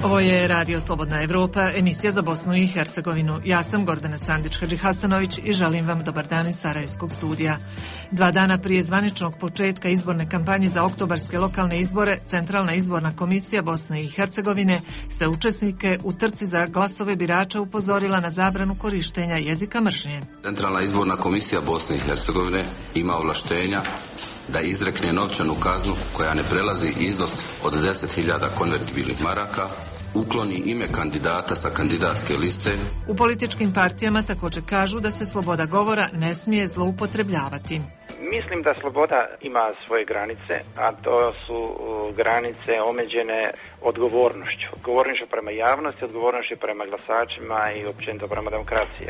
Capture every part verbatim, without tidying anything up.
Ovo je Radio Slobodna Evropa, emisija za Bosnu i Hercegovinu. Ja sam Gordana Sandić-Hadžihasanović i želim vam dobar dan iz Sarajevskog studija. Dva dana prije zvaničnog početka izborne kampanje za oktobarske lokalne izbore, Centralna izborna komisija Bosne i Hercegovine se učesnike u trci za glasove birača upozorila na zabranu korištenja jezika mržnje. Centralna izborna komisija Bosne i Hercegovine ima ovlaštenja da izrekne novčanu kaznu koja ne prelazi iznos od deset hiljada konvertibilnih maraka, ukloni ime kandidata sa kandidatske liste. U političkim partijama također kažu da se sloboda govora ne smije zloupotrebljavati. Mislim da sloboda ima svoje granice, a to su granice omeđene odgovornošću. Odgovornošću prema javnosti, odgovornošću prema glasačima i općenito prema demokraciji.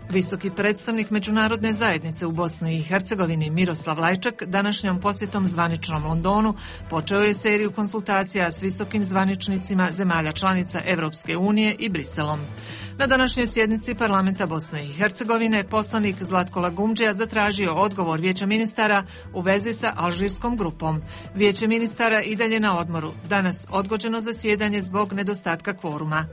Visoki predstavnik međunarodne zajednice u Bosni i Hercegovini Miroslav Lajčak današnjom posjetom zvaničnom Londonu počeo je seriju konsultacija s visokim zvaničnicima zemalja članica Evropske unije i Briselom. Na današnjoj sjednici parlamenta Bosne i Hercegovine poslanik Zlatko Lagumdžija zatražio odgovor Vijeća ministara u vezi sa alžirskom grupom. Vijeće ministara i dalje na odmoru. Danas odgođeno zasjedanje zbog nedostatka kvoruma.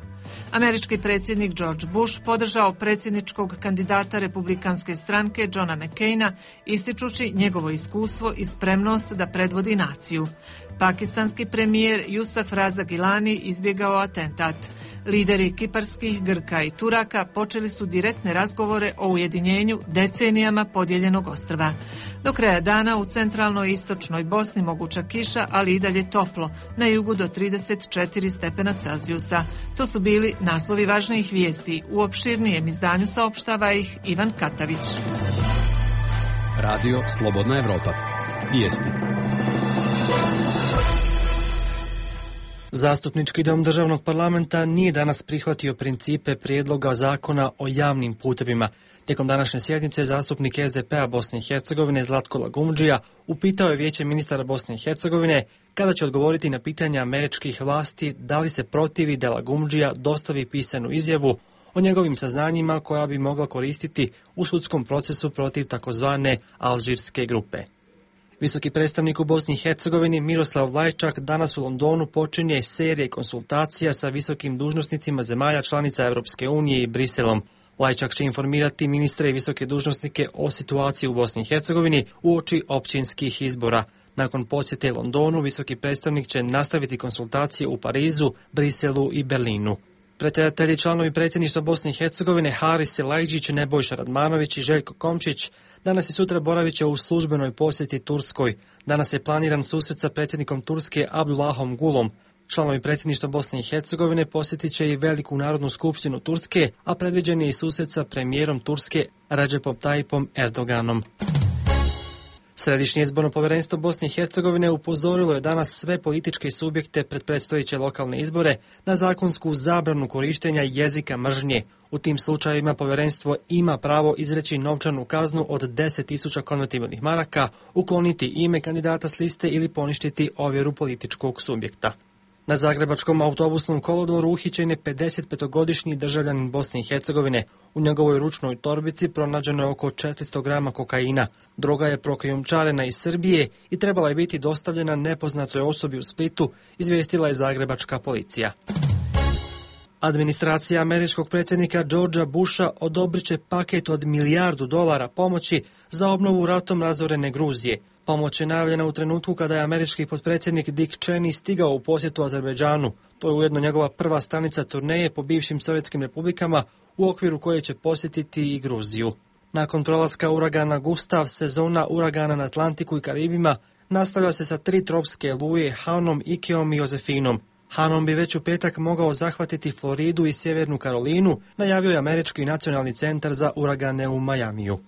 Američki predsjednik George Bush podržao predsjedničkog kandidata republikanske stranke Johna McCaina, ističući njegovo iskustvo i spremnost da predvodi naciju. Pakistanski premijer Jusuf Raza Gilani izbjegao atentat. Lideri kiparskih, Grka i Turaka počeli su direktne razgovore o ujedinjenju decenijama podijeljenog ostrva. Do kraja dana u centralnoj i istočnoj Bosni moguća kiša, ali i dalje toplo, na jugu do trideset četiri stepena Celzijusa. To su bili naslovi važnijih vijesti. U opširnijem izdanju saopštava ih Ivan Katavić. Radio Slobodna Evropa. Vijesti. Zastupnički dom državnog parlamenta nije danas prihvatio principe prijedloga zakona o javnim putevima. Tijekom današnje sjednice zastupnik S D P-a Bosne i Hercegovine Zlatko Lagumdžija upitao je Vijeće ministara Bosne i Hercegovine kada će odgovoriti na pitanja američkih vlasti da li se protivi da Lagumdžija dostavi pisanu izjavu o njegovim saznanjima koja bi mogla koristiti u sudskom procesu protiv takozvane alžirske grupe. Visoki predstavnik u Bosni i Hercegovini Miroslav Lajčak danas u Londonu počinje serije konsultacija sa visokim dužnosnicima zemalja članica Evropske unije i Briselom. Lajčak će informirati ministre i visoke dužnosnike o situaciji u Bosni i Hercegovini uoči općinskih izbora. Nakon posjete Londonu, visoki predstavnik će nastaviti konsultacije u Parizu, Briselu i Berlinu. Predsjedatelji članovi predsjedništva Bosne i Hercegovine Haris Selajđić, Nebojša Radmanović i Željko Komčić danas i sutra boravit će u službenoj posjeti Turskoj. Danas je planiran susret sa predsjednikom Turske Abdullahom Gulom. Članovi predsjedništva Bosne i Hercegovine posjetit će i Veliku narodnu skupštinu Turske, a predviđen je i susret sa premijerom Turske Recepom Tayyipom Erdoganom. Središnje izborno povjerenstvo Bosne i Hercegovine upozorilo je danas sve političke subjekte pred predstojeće lokalne izbore na zakonsku zabranu korištenja jezika mržnje. U tim slučajevima povjerenstvo ima pravo izreći novčanu kaznu od deset tisuća konvertibilnih maraka, ukloniti ime kandidata s liste ili poništiti ovjeru političkog subjekta. Na zagrebačkom autobusnom kolodvoru uhićen je pedesetpetogodišnji državljanin Bosne i Hercegovine. U njegovoj ručnoj torbici pronađeno je oko četiristo grama kokaina. Droga je prokrijumčarena iz Srbije i trebala je biti dostavljena nepoznatoj osobi u Splitu, izvijestila je zagrebačka policija. Administracija američkog predsjednika Georgea Busha odobrit će paket od milijardu dolara pomoći za obnovu ratom razorene Gruzije. Pomoć je najavljena u trenutku kada je američki potpredsjednik Dick Cheney stigao u posjetu Azerbejdžanu. To je ujedno njegova prva stanica turneje po bivšim sovjetskim republikama u okviru koje će posjetiti i Gruziju. Nakon prolaska uragana Gustav, sezona uragana na Atlantiku i Karibima nastavlja se sa tri tropske oluje Hanom, Ikeom i Jozefinom. Hanom bi već u petak mogao zahvatiti Floridu i Sjevernu Karolinu, najavio je Američki nacionalni centar za uragane u Majamiju.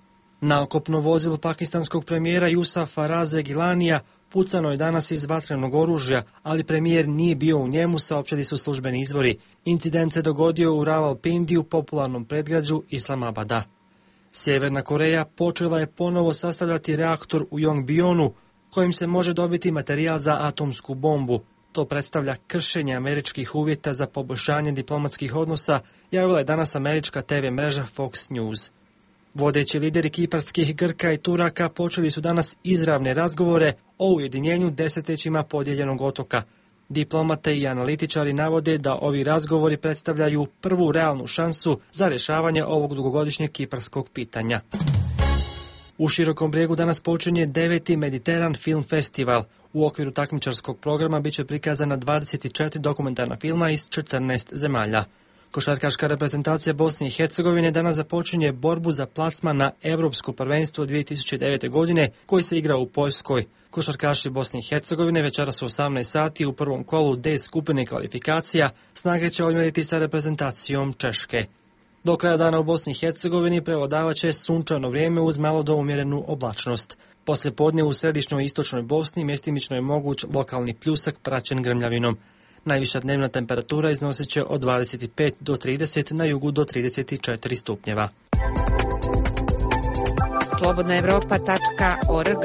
Naokopno vozilo pakistanskog premijera Jusufa Raze Gilanija pucano je danas iz vatrenog oružja, ali premijer nije bio u njemu, saopćili su službeni izvori. Incident se dogodio u Rawalpindi u popularnom predgrađu Islamabada. Sjeverna Koreja počela je ponovo sastavljati reaktor u Yongbyon-u, kojim se može dobiti materijal za atomsku bombu. to predstavlja kršenje američkih uvjeta za poboljšanje diplomatskih odnosa, javila je danas američka te ve mreža Fox News. Vodeći lideri kiparskih Grka i Turaka počeli su danas izravne razgovore o ujedinjenju desetljećima podijeljenog otoka. Diplomate i analitičari navode da ovi razgovori predstavljaju prvu realnu šansu za rješavanje ovog dugogodišnjeg kiparskog pitanja. U Širokom Brijegu danas počinje deveti Mediteran Film Festival. U okviru takmičarskog programa bit će prikazana dvadeset četiri dokumentarna filma iz četrnaest zemalja. Košarkaška reprezentacija Bosne i Hercegovine danas započinje borbu za plasman na Europsko prvenstvo dvije tisuće devete. godine koji se igra u Poljskoj. Košarkaši Bosne i Hercegovine večeras u osamnaest sati u prvom kolu D skupine kvalifikacija snage će odmjeriti sa reprezentacijom Češke. Do kraja dana u Bosni i Hercegovini prevladavaće sunčano vrijeme uz malo do umjerenu oblačnost. Poslije podne u središnjoj i istočnoj Bosni mjestimično je moguć lokalni pljusak praćen grmljavinom. Najviša dnevna temperatura iznosit će od dvadeset pet do trideset, na jugu do trideset četiri stupnjeva. slobodna evropa tačka org.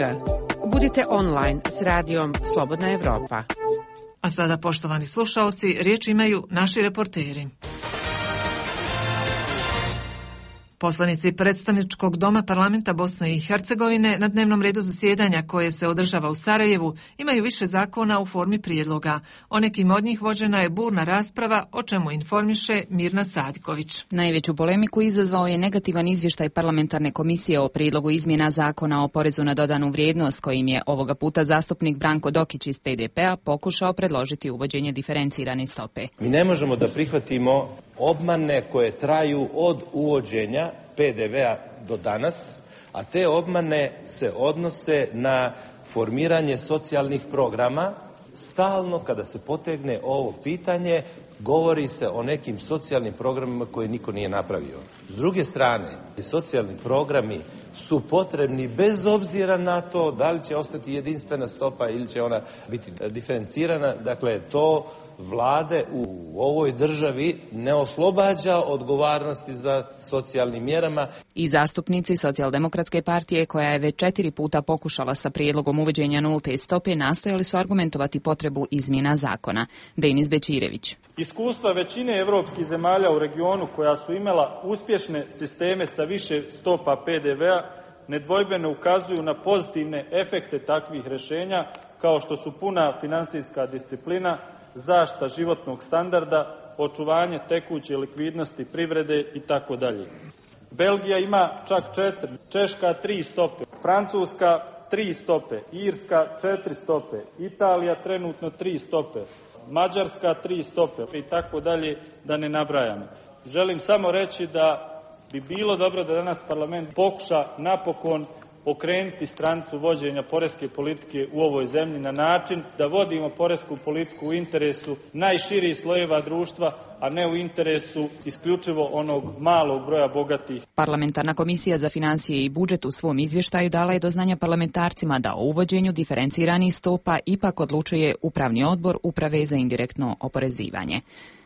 Budite online s radijom Slobodna Evropa. A sada, poštovani slušalci, riječ imaju naši reporteri. Poslanici predstavničkog doma parlamenta Bosne i Hercegovine na dnevnom redu zasjedanja koje se održava u Sarajevu imaju više zakona u formi prijedloga. O nekim od njih vođena je burna rasprava, o čemu informiše Mirna Sadiković. Najveću polemiku izazvao je negativan izvještaj parlamentarne komisije o prijedlogu izmjena zakona o porezu na dodanu vrijednost, kojim je ovoga puta zastupnik Branko Dokić iz pe de pe-a pokušao predložiti uvođenje diferencirane stope. Mi ne možemo da prihvatimo obmane koje traju od uvođenja pe de ve-a do danas, a te obmane se odnose na formiranje socijalnih programa. Stalno kada se potegne ovo pitanje, govori se o nekim socijalnim programima koje niko nije napravio. S druge strane, socijalni programi su potrebni bez obzira na to da li će ostati jedinstvena stopa ili će ona biti diferencirana. Dakle, to vlade u ovoj državi ne oslobađa odgovornosti za socijalnim mjerama. I zastupnici Socijaldemokratske partije, koja je već četiri puta pokušala sa prijedlogom uvođenja nulte stope, nastojali su argumentovati potrebu izmjena zakona. Denis Bečirević. Iskustva većine evropskih zemalja u regionu koja su imala uspješne sisteme sa više stopa pe de ve-a nedvojbeno ukazuju na pozitivne efekte takvih rješenja, kao što su puna finansijska disciplina, zaštita životnog standarda, očuvanje tekuće likvidnosti privrede i tako dalje. Belgija ima čak četiri, Češka tri stope, Francuska tri stope, Irska četiri stope, Italija trenutno tri stope, Mađarska tri stope i tako dalje, da ne nabrajam. Želim samo reći da bi bilo dobro da danas parlament pokuša napokon okrenuti stranicu vođenja poreske politike u ovoj zemlji na način da vodimo poresku politiku u interesu najširih slojeva društva, a ne u interesu isključivo onog malog broja bogatih. Parlamentarna komisija za financije i budžet u svom izvještaju dala je do znanja parlamentarcima da o uvođenju diferenciranih stopa ipak odlučuje Upravni odbor Uprave za indirektno oporezivanje.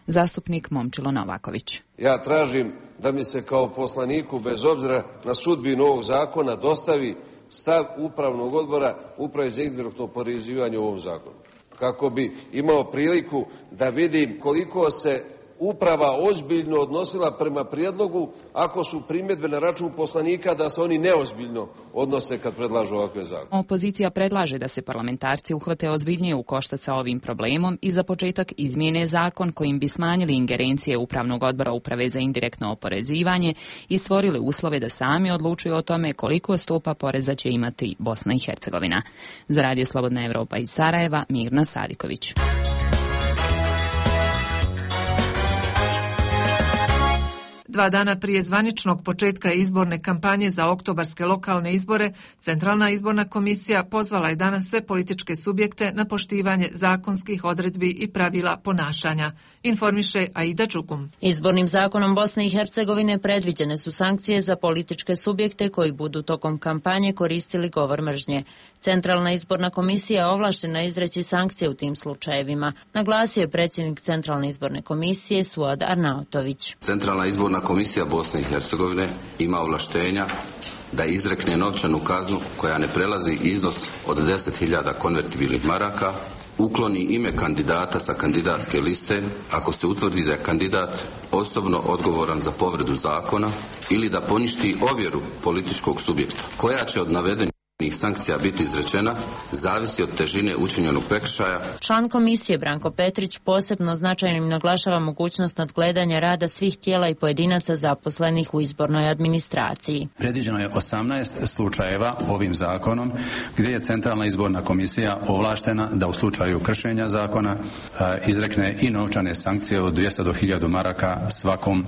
Zastupnik Momčilo Novaković. Ja tražim da mi se kao poslaniku, bez obzira na sudbinu ovog zakona, dostavi stav Upravnog odbora Uprave za indirektno oporezivanje u ovom zakonu. Kako bi imao priliku da vidim koliko se uprava ozbiljno odnosila prema prijedlogu, ako su primjedbe na račun poslanika da se oni neozbiljno odnose kad predlažu ovakve zakone. Opozicija predlaže da se parlamentarci uhvate ozbiljnije u koštac sa ovim problemom i za početak izmijene zakon kojim bi smanjili ingerencije Upravnog odbora Uprave za indirektno oporezivanje i stvorili uslove da sami odlučuju o tome koliko stopa poreza će imati Bosna i Hercegovina. Za Radio Slobodna Evropa iz Sarajeva, Mirna Sadiković. Dva dana prije zvaničnog početka izborne kampanje za oktobarske lokalne izbore, Centralna izborna komisija pozvala je danas sve političke subjekte na poštivanje zakonskih odredbi i pravila ponašanja, informiše Aida Đugum. Izbornim zakonom Bosne i Hercegovine predviđene su sankcije za političke subjekte koji budu tokom kampanje koristili govor mržnje. Centralna izborna komisija je ovlaštena izreći sankcije u tim slučajevima, naglasio je predsjednik Centralne izborne komisije Suad Arnautović. Centralna izborna komisija Bosne i Hercegovine ima ovlaštenja da izrekne novčanu kaznu koja ne prelazi iznos od deset hiljada konvertibilnih maraka, ukloni ime kandidata sa kandidatske liste ako se utvrdi da je kandidat osobno odgovoran za povredu zakona ili da poništi ovjeru političkog subjekta. Koja će od navedenih sankcija biti izrečena zavisi od težine učinjenog prekršaja. Član komisije Branko Petrić posebno značajnim naglašava mogućnost nadgledanja rada svih tijela i pojedinaca zaposlenih u izbornoj administraciji. Predviđeno je osamnaest slučajeva ovim zakonom gdje je Centralna izborna komisija ovlaštena da u slučaju kršenja zakona izrekne i novčane sankcije od dvjesto do hiljadu maraka svakom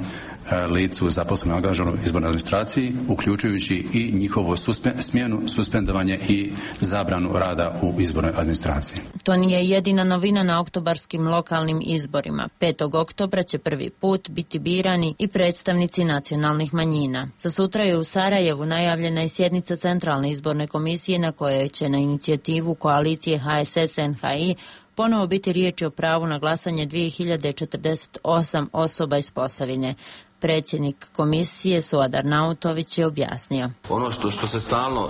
licu zaposlenom angažovanom u izbornoj administraciji, uključujući i njihovu suspe, smjenu, suspendovanje i zabranu rada u izbornoj administraciji. To nije jedina novina na oktobarskim lokalnim izborima. petog oktobra će prvi put biti birani i predstavnici nacionalnih manjina. Za sutra je u Sarajevu najavljena i sjednica Centralne izborne komisije na kojoj će na inicijativu koalicije H S S N H I ponovo biti riječi o pravu na glasanje dvije hiljade četrdeset osam osoba iz Posavine. Predsjednik komisije Suad Arnautović je objasnio. Ono što, što se stalno,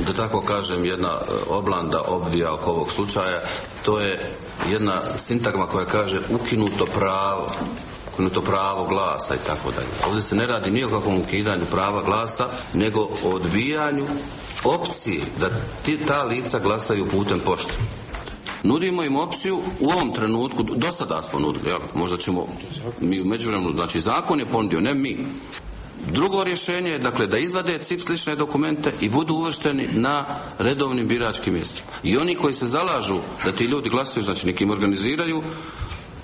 da tako kažem, jedna oblanda obvija oko ovog slučaja, to je jedna sintagma koja kaže ukinuto pravo, ukinuto pravo glasa i tako dalje. Ovdje se ne radi ni o kakvom ukidanju prava glasa, nego o odbijanju opcije da ti, ta lica glasaju putem pošte. Nudimo im opciju u ovom trenutku, do sada smo nudili, jel? Možda ćemo mi u međuvremenu, znači zakon je ponudio, ne mi. Drugo rješenje je, dakle, da izvade C I P slične dokumente i budu uvršteni na redovnim biračkim mjestima. I oni koji se zalažu da ti ljudi glasuju, znači nekim organiziraju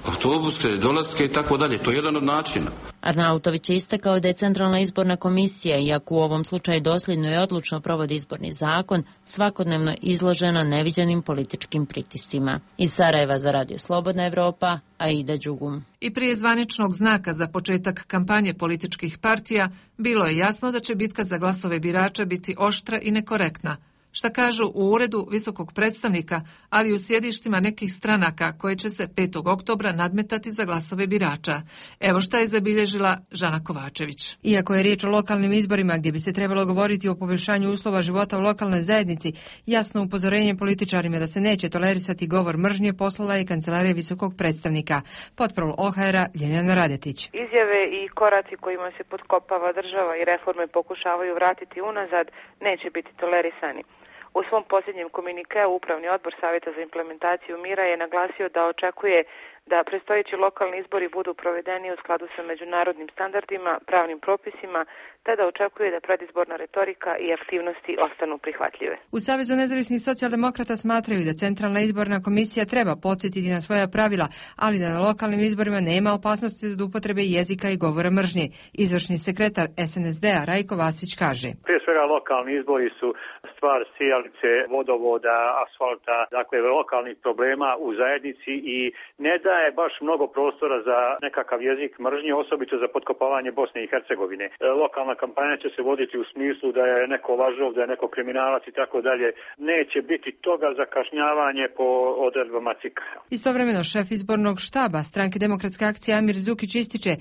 autobuske, dolaske i tako dalje. To je jedan od načina. Arnautović je istakao da je Centralna izborna komisija, iako u ovom slučaju dosljedno i odlučno provodi izborni zakon, svakodnevno izložena neviđenim političkim pritiscima. Iz Sarajeva za Radio Slobodna Evropa, Aida Đugum. I prije zvaničnog znaka za početak kampanje političkih partija, bilo je jasno da će bitka za glasove birača biti oštra i nekorektna. Šta kažu u uredu visokog predstavnika, ali i u sjedištima nekih stranaka koje će se petog oktobra nadmetati za glasove birača. Evo šta je zabilježila Žana Kovačević. Iako je riječ o lokalnim izborima gdje bi se trebalo govoriti o poboljšanju uslova života u lokalnoj zajednici, jasno upozorenje političarima da se neće tolerisati govor mržnje poslala je Kancelarija visokog predstavnika. Potprol O H R-a Ljeljana Radetić. Izjave i koraci kojima se potkopava država i reforme pokušavaju vratiti unazad neće biti tolerisani. U svom posljednjem komunikeu Upravni odbor Savjeta za implementaciju mira je naglasio da očekuje da predstojeći lokalni izbori budu provedeni u skladu sa međunarodnim standardima, pravnim propisima, te da očekuje da predizborna retorika i aktivnosti ostanu prihvatljive. U Savezu nezavisnih socijaldemokrata smatraju da Centralna izborna komisija treba podsjetiti na svoja pravila, ali da na lokalnim izborima nema opasnosti od upotrebe jezika i govora mržnje. Izvršni sekretar S N S D-a Rajko Vasić kaže. Prije svega lokalni izbori su stvar sijalice, vodovoda, asfalta, dakle lokalnih problema u zajednici i ne daje baš mnogo prostora za nekakav jezik mržnje, osobito za potkopavanje Bosne i Hercegovine. Lokalna kampanja će se voditi u smislu da je neko lažov, da je neko kriminalac i tako dalje. Neće biti toga zakašnjavanje po odredbama C I K-a. Istovremeno šef izbornog štaba Stranke demokratske akcije Amir Zukić ističe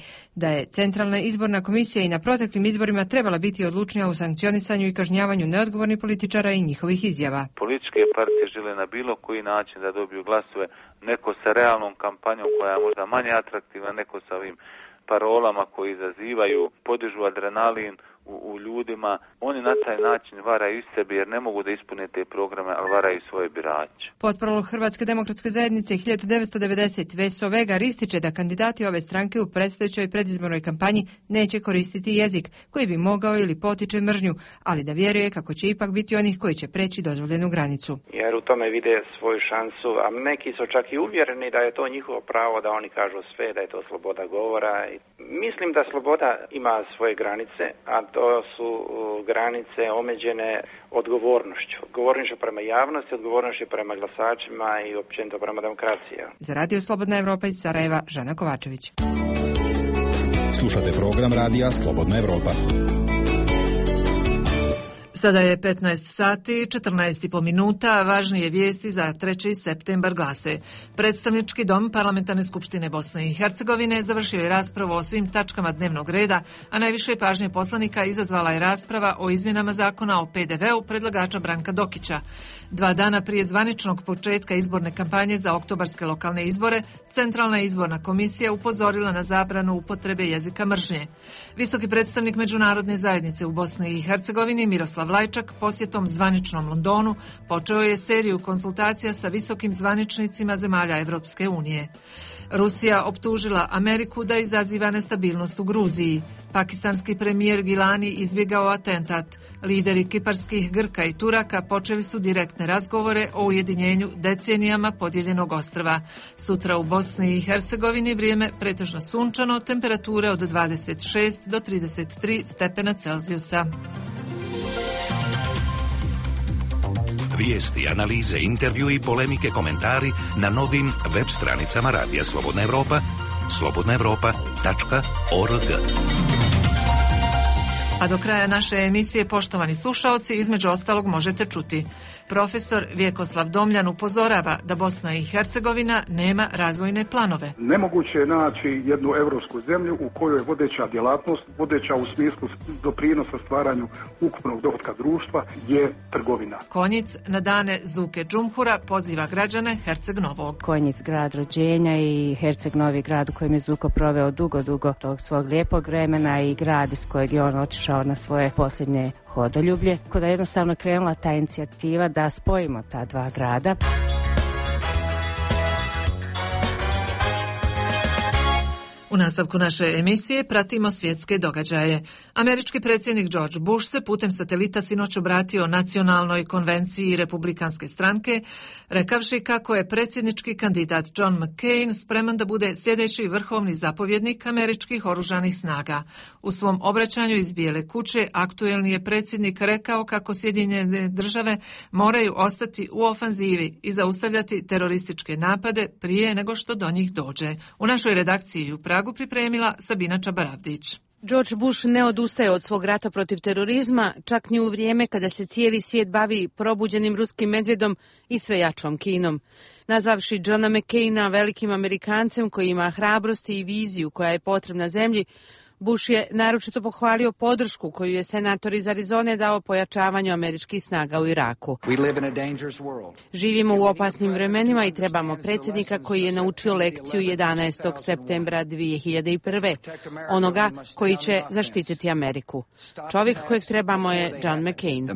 da je Centralna izborna komisija i na proteklim izborima trebala biti odlučnija u sankcionisanju i kažnjavanju neodgovornih političara i njihovih izjava. Političke partije žele na bilo koji način da dobiju glasove, neko sa realnom kampanjom koja je možda manje atraktivna, neko sa ovim parolama koji izazivaju, podižu adrenalin u, u ljudima. Oni na taj način varaju iz sebe jer ne mogu da ispune te programe, ali varaju svoje birače. Potprol Hrvatske demokratske zajednice hiljadu devetsto devedeset Veso Vegar ističe da kandidati ove stranke u predstojećoj predizbornoj kampanji neće koristiti jezik koji bi mogao ili potiče mržnju, ali da vjeruje kako će ipak biti onih koji će preći dozvoljenu granicu. Jer u tome vide svoju šansu, a neki su čak i uvjereni da je to njihovo pravo da oni kažu sve, da je to sloboda govora. Mislim da sloboda ima svoje granice, a to su granice omeđene odgovornošću. Odgovornošću prema javnosti, odgovornošću prema glasačima i općenito prema demokraciji. Za Radio Slobodna Evropa iz Sarajeva, Žana Kovačević. Slušate program Radija Slobodna Evropa. Sada je petnaest sati, četrnaest i po minuta, važnije vijesti za treći septembar glase. Predstavnički dom Parlamentarne skupštine Bosne i Hercegovine završio je raspravu o svim tačkama dnevnog reda, a najviše pažnje poslanika izazvala je rasprava o izmjenama zakona o pe de veu predlagača Branka Dokića. Dva dana prije zvaničnog početka izborne kampanje za oktobarske lokalne izbore, Centralna izborna komisija upozorila na zabranu upotrebe jezika mržnje. Visoki predstavnik međunarodne zajednice u Bosni i Hercegovini Miroslav Lajčak posjetom zvaničnom Londonu počeo je seriju konsultacija sa visokim zvaničnicima zemalja Evropske unije. Rusija optužila Ameriku da izaziva nestabilnost u Gruziji. Pakistanski premijer Gilani izbjegao atentat. Lideri kiparskih Grka i Turaka počeli su direktne razgovore o ujedinjenju decenijama podijeljenog ostrva. Sutra u Bosni i Hercegovini vrijeme pretežno sunčano, temperature od dvadeset šest do trideset tri stepena Celzijusa. Vijesti, analize, intervju i polemike, komentari na novim web stranicama Radija Slobodna Evropa, slobodna evropa tačka org. A do kraja naše emisije, poštovani slušaoci, između ostalog možete čuti. Profesor Vjekoslav Domljan upozorava da Bosna i Hercegovina nema razvojne planove. Nemoguće je naći jednu evropsku zemlju u kojoj je vodeća djelatnost, vodeća u smislu doprinosa stvaranju ukupnog dohotka društva, je trgovina. Konjic na dane Zuke Džumhura poziva građane Herceg Novog. Konjic, grad rođenja, i Herceg Novi, grad u kojem je Zuko proveo dugo, dugo tog svog lijepog vremena, i grad iz kojeg je on otišao na svoje posljednje hodoljublje. Kada je jednostavno krenula ta inicijativa da spojimo ta dva grada. U nastavku naše emisije pratimo svjetske događaje. Američki predsjednik George Bush se putem satelita sinoć obratio nacionalnoj konvenciji Republikanske stranke, rekavši kako je predsjednički kandidat John McCain spreman da bude sljedeći vrhovni zapovjednik američkih oružanih snaga. U svom obraćanju iz Bijele kuće aktuelni je predsjednik rekao kako Sjedinjene države moraju ostati u ofanzivi i zaustavljati terorističke napade prije nego što do njih dođe. U našoj redakciji u Pragu pripremila Sabina Čabaravdić. George Bush ne odustaje od svog rata protiv terorizma, čak ni u vrijeme kada se cijeli svijet bavi probuđenim ruskim medvjedom i sve jačom Kinom. Nazvavši Johna McCaina velikim Amerikancem koji ima hrabrosti i viziju koja je potrebna zemlji, Bush je naročito pohvalio podršku koju je senator iz Arizone dao pojačavanju američkih snaga u Iraku. Živimo u opasnim vremenima i trebamo predsjednika koji je naučio lekciju jedanaestog septembra dvije hiljade prve. Onoga koji će zaštititi Ameriku. Čovjek kojeg trebamo je John McCain.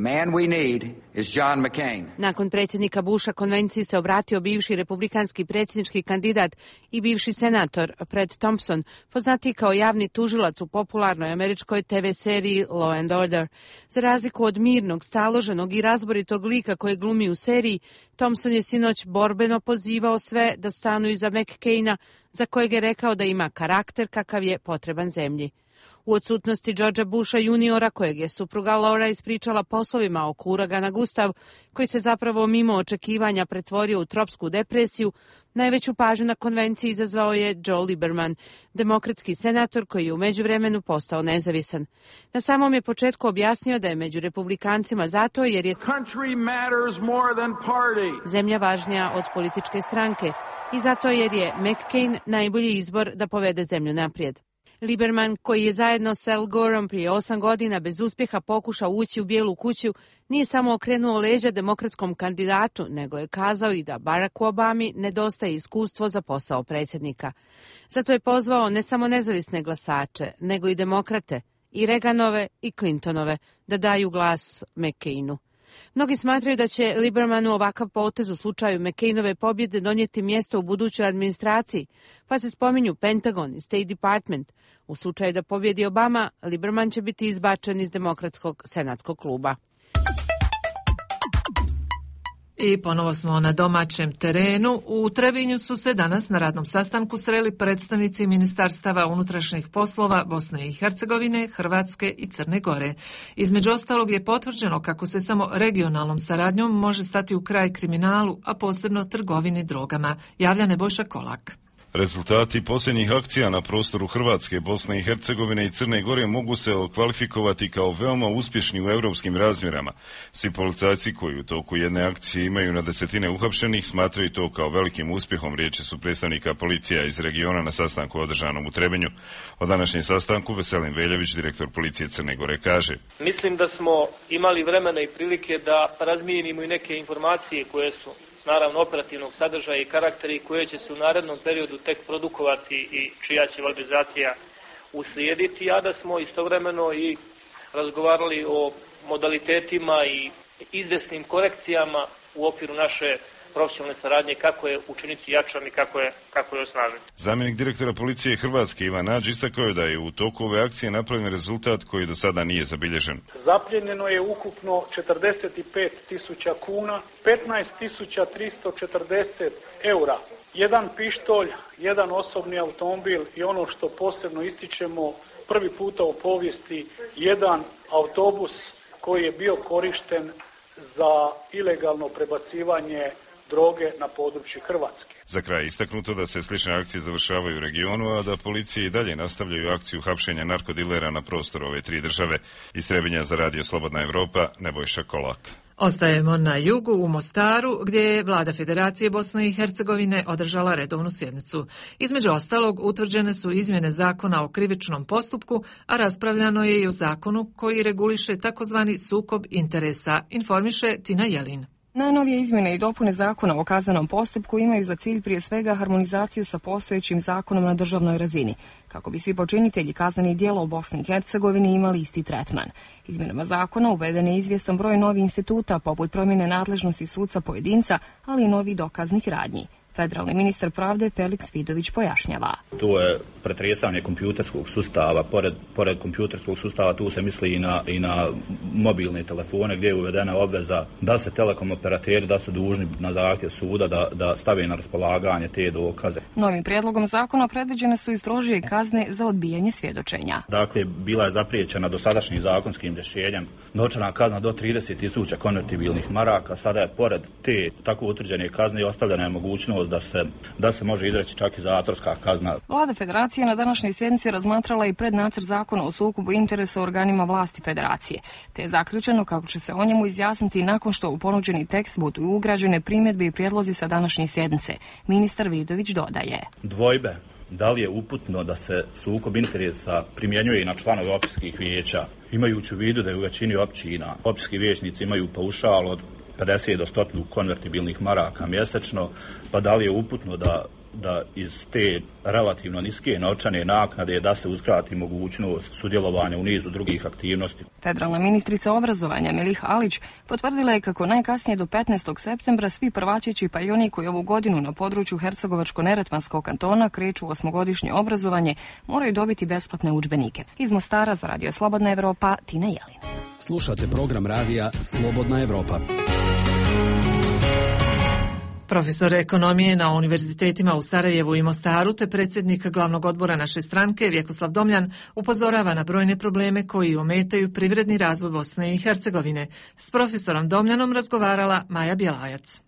Nakon predsjednika Busha konvenciji se obratio bivši republikanski predsjednički kandidat i bivši senator Fred Thompson, poznati kao javni tužilac u popularnoj američkoj te ve seriji Law and Order. Za razliku od mirnog, staloženog i razboritog lika koje glumi u seriji, Thompson je sinoć borbeno pozivao sve da stanu iza McCaina, za kojeg je rekao da ima karakter kakav je potreban zemlji. U odsutnosti Georgea Busha juniora, kojeg je supruga Laura ispričala poslovima oko uragana Gustav, koji se zapravo mimo očekivanja pretvorio u tropsku depresiju, najveću pažnju na konvenciji izazvao je Joe Lieberman, demokratski senator koji je u međuvremenu postao nezavisan. Na samom je početku objasnio da je među republikancima zato jer je zemlja važnija od političke stranke i zato jer je McCain najbolji izbor da povede zemlju naprijed. Lieberman, koji je zajedno s Al Goreom prije osam godina bez uspjeha pokušao ući u Bijelu kuću, nije samo okrenuo leđa demokratskom kandidatu, nego je kazao i da Baracku Obami nedostaje iskustvo za posao predsjednika. Zato je pozvao ne samo nezavisne glasače, nego i demokrate, i Reaganove i Clintonove, da daju glas McCainu. Mnogi smatraju da će Liebermanu ovakav potez u slučaju McCainove pobjede donijeti mjesto u budućoj administraciji, pa se spominju Pentagon i State Department. U slučaju da pobjedi Obama, Lieberman će biti izbačen iz demokratskog senatskog kluba. I ponovo smo na domaćem terenu. U Trebinju su se danas na radnom sastanku sreli predstavnici ministarstava unutrašnjih poslova Bosne i Hercegovine, Hrvatske i Crne Gore. Između ostalog je potvrđeno kako se samo regionalnom saradnjom može stati u kraj kriminalu, a posebno trgovini drogama. Javlja Nebojša Kolak. Rezultati posljednjih akcija na prostoru Hrvatske, Bosne i Hercegovine i Crne Gore mogu se kvalifikovati kao veoma uspješni u europskim razmjerama. Svi policajci koji u toku jedne akcije imaju na desetine uhapšenih smatraju to kao velikim uspjehom, riječi su predstavnika policija iz regiona na sastanku održanom u Trebinju. O današnjem sastanku Veselin Veljević, direktor policije Crne Gore, kaže: Mislim da smo imali vremena i prilike da razmijenimo i neke informacije koje su naravno operativnog sadržaja i karaktera i koje će se u narednom periodu tek produkovati i čija će valorizacija uslijediti, a da smo istovremeno i razgovarali o modalitetima i izvesnim korekcijama u okviru naše profesionalne saradnje, kako je učiniti jačan i kako je, kako je osnažen. Zamjenik direktora policije Hrvatske Ivan Nađ istakao je da je u toku ove akcije napravljen rezultat koji do sada nije zabilježen. Zapljenjeno je ukupno četrdeset pet tisuća kuna, petnaest tisuća tristo četrdeset eura, jedan pištolj, jedan osobni automobil i ono što posebno ističemo, prvi puta u povijesti jedan autobus koji je bio korišten za ilegalno prebacivanje droge na području Hrvatske. Za kraj istaknuto da se slične akcije završavaju u regionu, a da policije i dalje nastavljaju akciju hapšenja narkodilera na prostoru ove tri države. Iz Trebinja za Radio Slobodna Evropa, Nebojša Kolak. Ostajemo na jugu u Mostaru, gdje je Vlada Federacije Bosne i Hercegovine održala redovnu sjednicu. Između ostalog, utvrđene su izmjene zakona o krivičnom postupku, a raspravljano je i o zakonu koji reguliše takozvani sukob interesa, informiše Tina Jelin. Najnovije izmjene i dopune zakona o kaznenom postupku imaju za cilj prije svega harmonizaciju sa postojećim zakonom na državnoj razini, kako bi svi počinitelji kaznenih djela u Bosni i Hercegovini imali isti tretman. Izmjenama zakona uveden je izvjestan broj novih instituta, poput promjene nadležnosti suca pojedinca, ali i novih dokaznih radnji. Federalni ministar pravde Feliks Vidović pojašnjava. To je pretresanje kompjuterskog sustava. Pored, pored kompjuterskog sustava tu se misli i na, i na mobilne telefone, gdje je uvedena obveza da se telekom operateri da su dužni na zahtjev suda da, da stave na raspolaganje te dokaze. Novim prijedlogom zakona predviđene su i strožije kazne za odbijanje svjedočenja. Dakle, bila je zapriječena dosadašnjim zakonskim rješenjem novčana kazna do trideset tisuća konvertibilnih maraka. Sada je pored te tako utvrđene kazne ostavljena je mogućnost da se, da se može izreći čak i zatvorska kazna. Vlada Federacije na današnjoj sjednici razmatrala i prednacrt zakona o sukobu interesa u organima vlasti Federacije, te je zaključeno kako će se o njemu izjasniti nakon što u ponuđeni tekst budu ugrađene primjedbe i prijedlozi sa današnje sjednice. Ministar Vidović dodaje: Dvojbe da li je uputno da se sukob interesa primjenjuje i na članove općinskih vijeća, imajući u vidu da je u većini općina općinski vijećnici imaju paušal od pedeset do sto konvertibilnih maraka mjesečno, pa da li je uputno da, da iz te relativno niske novčane naknade da se uskrati mogućnost sudjelovanja u nizu drugih aktivnosti. Federalna ministrica obrazovanja Melih Alić potvrdila je kako najkasnije do petnaestog septembra svi prvačići pa i oni koji ovu godinu na području Hercegovačko-Neretvanskog kantona kreću u osmogodišnje obrazovanje moraju dobiti besplatne udžbenike. Iz Mostara za Radio Slobodna Evropa, Tina Jelin. Slušate program radija Slobodna Evropa. Profesor ekonomije na univerzitetima u Sarajevu i Mostaru te predsjednik glavnog odbora naše stranke Vjekoslav Domljan upozorava na brojne probleme koji ometaju privredni razvoj Bosne i Hercegovine. S profesorom Domljanom razgovarala Maja Bjelajac.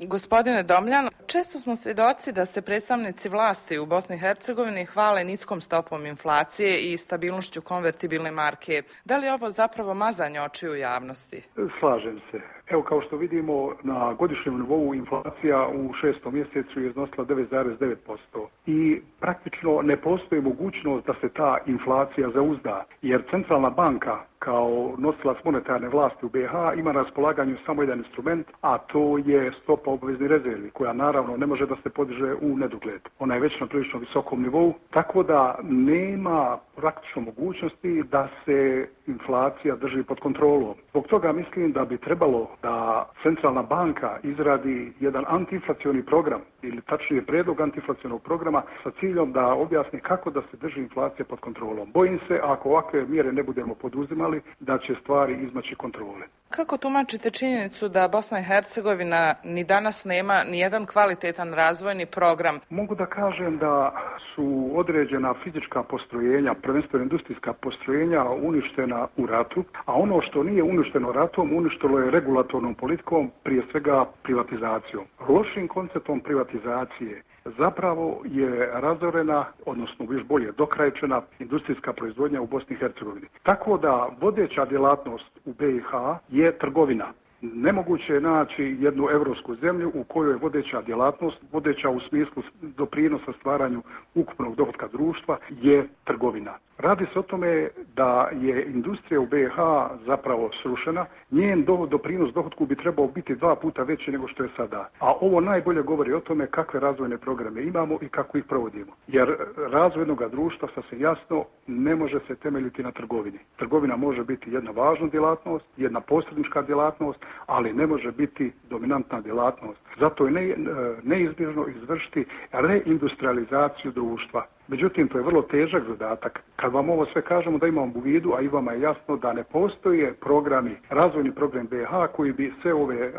Gospodine Domljan, često smo svjedoci da se predstavnici vlasti u Bosni i Hercegovini hvale niskom stopom inflacije i stabilnošću konvertibilne marke. Da li je ovo zapravo mazanje očiju javnosti? Slažem se. Evo, kao što vidimo, na godišnjem nivou inflacija u šestom mjesecu je iznosila devet zarez devet posto i praktično ne postoji mogućnost da se ta inflacija zauzda, jer centralna banka kao nosilac monetarne vlasti u B iH ima na raspolaganju samo jedan instrument, a to je stopa obveznih rezervi, koja naravno ne može da se podiže u nedogled. Ona je već na prilično visokom nivou, tako da nema praktično mogućnosti da se inflacija drži pod kontrolom. Zbog toga mislim da bi trebalo da centralna banka izradi jedan antiinflacioni program, ili tačnije prijedlog antiinflacionog programa sa ciljom da objasni kako da se drži inflacija pod kontrolom. Bojim se, ako ovakve mjere ne budemo poduzimali, da će stvari izmaći kontrole. Kako tumačite činjenicu da Bosna i Hercegovina ni danas nema ni jedan kvalitetan razvojni program? Mogu da kažem da su određena fizička postrojenja, prvenstveno industrijska postrojenja, uništena u ratu, a ono što nije uništeno ratom, uništilo je regulatornom politikom, prije svega privatizacijom. Lošim konceptom privatizacije zapravo je razorena, odnosno još bolje dokrajčena industrijska proizvodnja u Bosni i Hercegovini. Tako da vodeća djelatnost u B i H je trgovina. Nemoguće je naći jednu europsku zemlju u kojoj je vodeća djelatnost, vodeća u smislu doprinosa stvaranju ukupnog dohotka društva, je trgovina. Radi se o tome da je industrija u B i H zapravo srušena, njen do, doprinos dohotku bi trebao biti dva puta veći nego što je sada. A ovo najbolje govori o tome kakve razvojne programe imamo i kako ih provodimo. Jer razvoj jednog društva, sasvim jasno, ne može se temeljiti na trgovini. Trgovina može biti jedna važna djelatnost, jedna posrednička djelatnost, ali ne može biti dominantna djelatnost. Zato je ne, neizbježno izvršiti reindustrializaciju društva. Međutim, to je vrlo težak zadatak. Kad vam ovo sve kažemo da imamo u vidu, a i vama je jasno da ne postoje programi, razvojni program B i H koji bi sve ove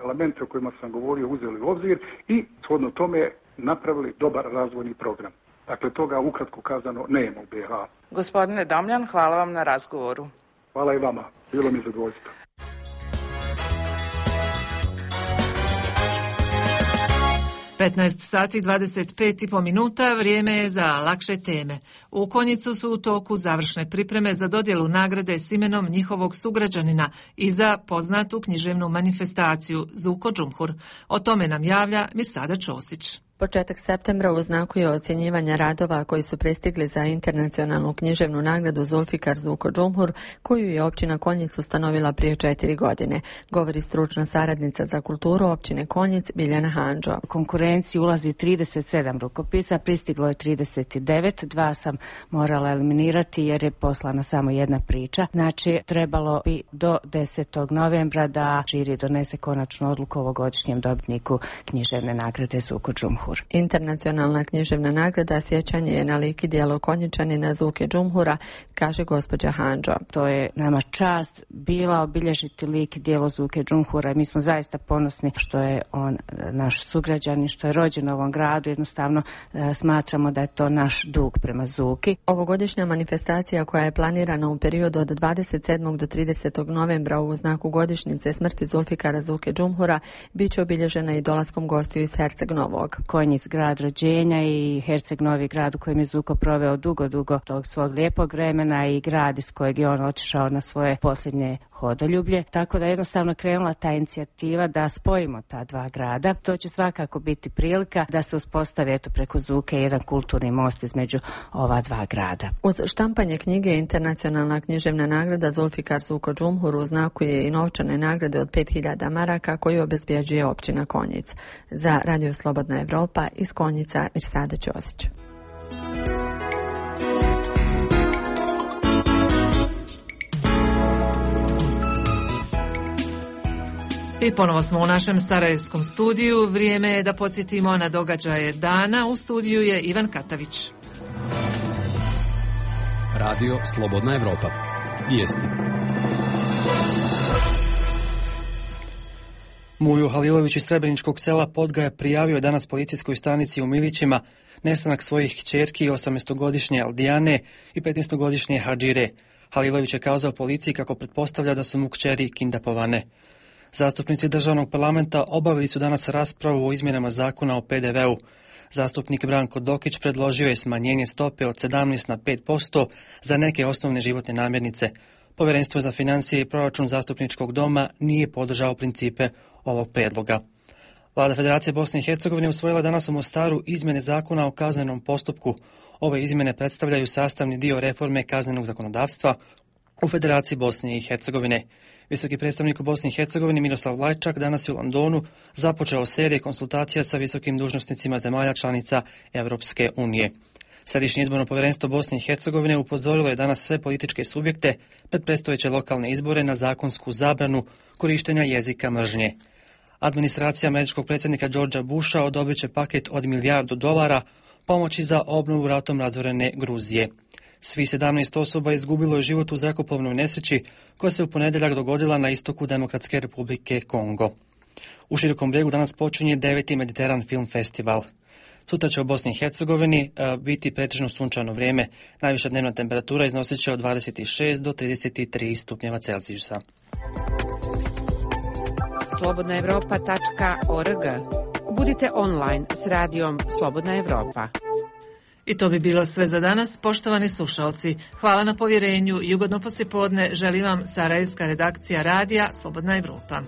elemente o kojima sam govorio uzeli u obzir i shodno tome napravili dobar razvojni program. Dakle, toga ukratko kazano nema u B i H. Gospodine Damljan, hvala vam na razgovoru. Hvala i vama. Bilo mi zadovoljstvo. petnaest sati dvadeset pet i po minuta, vrijeme je za lakše teme. U Konjicu su u toku završne pripreme za dodjelu nagrade s imenom njihovog sugrađanina i za poznatu književnu manifestaciju Zuko Džumhur. O tome nam javlja Mirsada Ćosić. Početak septembra u znaku je ocjenjivanja radova koji su pristigli za internacionalnu književnu nagradu Zulfikar Zuko Džumhur, koju je općina Konjic ustanovila prije četiri godine, govori stručna saradnica za kulturu općine Konjic Biljana Handžo. U konkurenciji ulazi trideset sedam rukopisa, pristiglo je trideset devet, dva sam morala eliminirati jer je poslana samo jedna priča. Znači, trebalo bi do desetog novembra da žiri donese konačnu odluku o ovogodišnjem dobitniku književne nagrade Zuko Džumhur. Internacionalna književna nagrada sjećanje je na lik i djelo Konjičanina Zuke Džumhura, kaže gospođa Handžo. To je nama čast bila obilježiti lik i djelo Zuke Džumhura i mi smo zaista ponosni što je on naš sugrađanin, što je rođen u ovom gradu. Jednostavno e, smatramo da je to naš dug prema Zuki. Ovogodišnja manifestacija koja je planirana u periodu od dvadeset sedmog do tridesetog novembra u znaku godišnjice smrti Zulfikara Zuke Džumhura bit će obilježena i dolaskom gostiju iz Herceg Novog. Konjic grad rođenja i Herceg Novi grad u kojem je Zuko proveo dugo, dugo tog svog lijepog vremena i grad iz kojeg je on otišao na svoje posljednje hodoljublje. Tako da je jednostavno krenula ta inicijativa da spojimo ta dva grada. To će svakako biti prilika da se uspostavi eto preko Zuke jedan kulturni most između ova dva grada. Uz štampanje knjige internacionalna književna nagrada Zulfikar Zuko Džumhur u znaku je i novčane nagrade od pet hiljada maraka koju obezbjeđuje općina Konjic. Za Radio Slobodna Evropa iz Konjica Mirsada Ćosić. I ponovo smo u našem sarajevskom studiju. Vrijeme je da podsjetimo na događaje dana. U studiju je Ivan Katavić. Radio Slobodna Evropa. Vijesti. Mujo Halilović iz Srebreničkog sela Podga je prijavio danas policijskoj stanici u Milićima nestanak svojih kćerki osamnaestogodišnje Aldijane i petnaestogodišnje Hadžire. Halilović je kazao policiji kako pretpostavlja da su mu kćeri kindapovane. Zastupnici državnog parlamenta obavili su danas raspravu o izmjenama zakona o P D V-u. Zastupnik Branko Dokić predložio je smanjenje stope od sedamnaest na pet posto za neke osnovne životne namirnice. Povjerenstvo za financije i proračun zastupničkog doma nije podržao principe ovog prijedloga. Vlada Federacije Bosne i Hercegovine usvojila danas u Mostaru izmjene zakona o kaznenom postupku. Ove izmjene predstavljaju sastavni dio reforme kaznenog zakonodavstva u Federaciji Bosne i Hercegovine. Visoki predstavnik u Bosni i Hercegovini Miroslav Lajčak danas je u Londonu započeo serije konsultacija sa visokim dužnosnicima zemalja članica Europske unije. Središnje izborno povjerenstvo Bosne i Hercegovine upozorilo je danas sve političke subjekte pred predstojeće lokalne izbore na zakonsku zabranu korištenja jezika mržnje. Administracija američkog predsjednika Georgea Busha odobrit će paket od milijardu dolara pomoći za obnovu ratom razorene Gruzije. Svi sedamnaest osoba izgubilo je život u zrakoplovnoj nesreći koja se u ponedjeljak dogodila na istoku Demokratske republike Kongo. U Širokom Brijegu danas počinje deveti Mediteran Film Festival. Sutra će u Bosni i Hercegovini uh, biti pretežno sunčano vrijeme. Najviša dnevna temperatura iznosit će od dvadeset šest do trideset tri stupnjeva Celzijusa. slobodna evropa tačka org. Budite online s radijom Slobodna Evropa. I to bi bilo sve za danas, poštovani slušalci. Hvala na povjerenju i ugodno poslijepodne želim vam sarajevska redakcija radija Slobodna Evropa.